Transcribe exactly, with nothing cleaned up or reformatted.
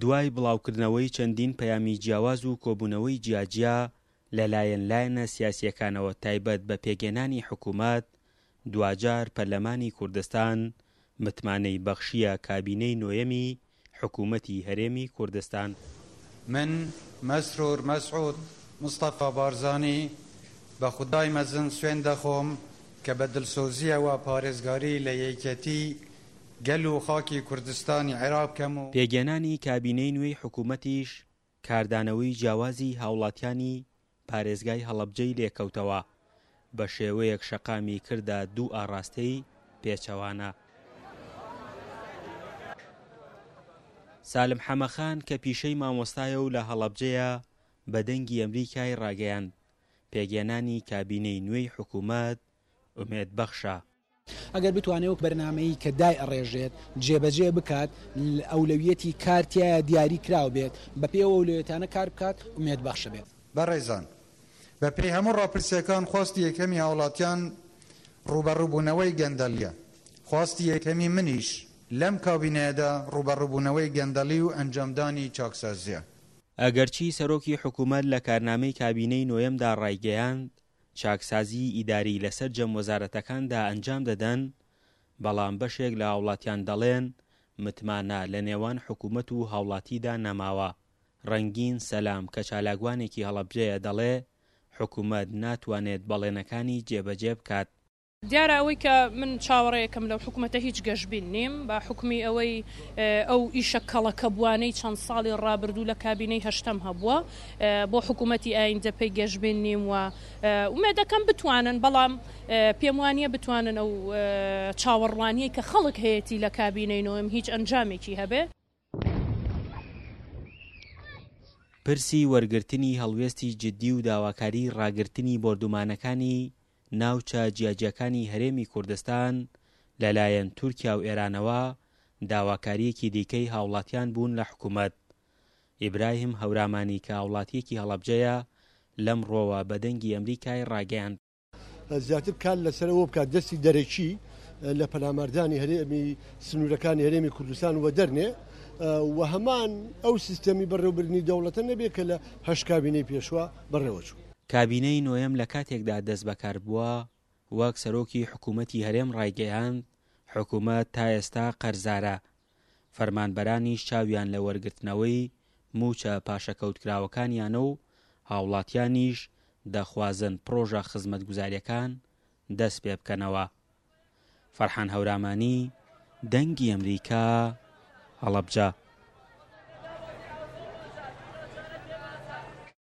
دوای بڵاوکردنەوەی چەندین پەیامی جیاواز و کۆبوونەوەی جیاجیا لەلایەن لایەنە سیاسییەکانەوە تایبەت بە پێکهێنانی حکوومەت، دواجار پەرلەمانی کوردستان متمانەی بەخشییە کابینەی نۆیەمی حکوومەتی هەرێمی کوردستان. من، مەسرور مەسعود مستەفا بارزانی، بە خودای مەزن سوێند دەخۆم کە بە دڵسۆزییەوە پارێزگاری لە یەکێتی گەل و خاکی کوردستانی عێراق بکەم و. پێکهێنانی کابینەی نوێی حکوومەتیش کاردانەوەی جیاوازی هاوڵاتیانی پارێزگای هەڵەبجەی لێکەوتەوە، بە شێوەیەک شەقامی کردە دوو ئاڕاستەی پێچەوانە. سالم حەمەخان کە پیشەی مامۆستایە و لە هەڵەبجەیە بە دەنگی ئەمریکای ڕاگەیاند، پێکهێنانی کابینەی نوێی حکوومەت ئومێد بەخشە. ئەگەر بتوانێت وەک بەرنامەیی کە دای ئەڕێژێت جێبەجێ بکات، ئەولەویەتی کار تیایا دیاری کراو بێت، بەپێی ئەو ئەولەویەتانە کار بکات، ئومێد بەخشە بێت. بەڕێزان، بەپێی هەموو ڕاپرسییەکان خواستی یەکەمی هاوڵاتیان ڕووبەڕووبوونەوەی گەندەڵییە. خواستی یەکەمی منیش لەم کابینەیەدا ڕووبەڕووبوونەوەی گەندەڵی و ئەنجامدانی چاکسازییە. ئەگەرچی سەرۆکی حکوومەت لە کارنامەی کابینەی نۆیەمدا ڕایگەیاند، چاکسازیی ئیداری لە سەرجەم وەزارەتەکاندا ئەنجام دەدەن، بەڵام بەشێک لە هاوڵاتیان دەڵێن متمانە لە نێوان حکوومەت و هاوڵاتیدا نەماوە. ڕەنگین سەلام کە چالاکوانێکی هەڵەبجەیە دەڵێ حکوومەت ناتوانێت بەڵێنەکانی جێبەجێ بکات. دیارە ئەوەی کە من چاوەڕێیەکەم لەو حکومەتە هیچ گەشبین نیم، بە حوکمی ئەوەی ئەو ئیشە کەڵەکەبووانەی چەند ساڵی ڕابردوو لە کابینەی هەشتەم هەبووە، بۆ حکومەتی ئایندە پێی گەشبین نیم و ئومێدەکەم بتوانن، بەڵام پێم وانییە بتوانن ئەو چاوەڕوانیەی کە خەڵک هەیەتی لە کابینەی نۆیەم هیچ ئەنجامێکی هەبێ. پرسی وەرگرتنی هەڵوێستی جدی و داواکاری ڕاگرتنی بۆردومانەکانی ناوچە جیاجیاکانی هەرێمی کوردستان لەلایەن تورکیا و ئێرانەوە داواکارییەکی دیکەی هاوڵاتیان بوون لە حکومەت. ئیبراهیم هەورامانی کە هاوڵاتییەکی هەڵەبجەیە لەم ڕۆوە بە دەنگی ئەمریکای ڕاگەیاند. زیاتر کار لەسەر ئەوە بکات دەستی دەرەکی لە پەلاماردانی هەرێمی سنوورەکانی هەرێمی کوردستان وەدەرنێ و هەمان ئەو سیستەمی بەڕێوەبردنی دەوڵەتە نەبێت کە لە هەشت کابینەی پێشوە بەڕێوەچوو. کابینەی نۆیەم لە کاتێکدا دەست بەکار بووە، وەک سەرۆکی حکوومەتی هەرێم ڕایگەیاند، حکوومەت تا ئێستا قەرزارە، فەرمانبەرانیش چاویان لە وەرگرتنەوەی مووچە پاشەکەوتکراوەکانیانە و هاوڵاتیانیش دەخوازن پڕۆژە خزمەتگوزارییەکان دەست پێ بکەنەوە. فەرحان هەورامانی، دەنگی ئەمریکا، هەڵەبجە.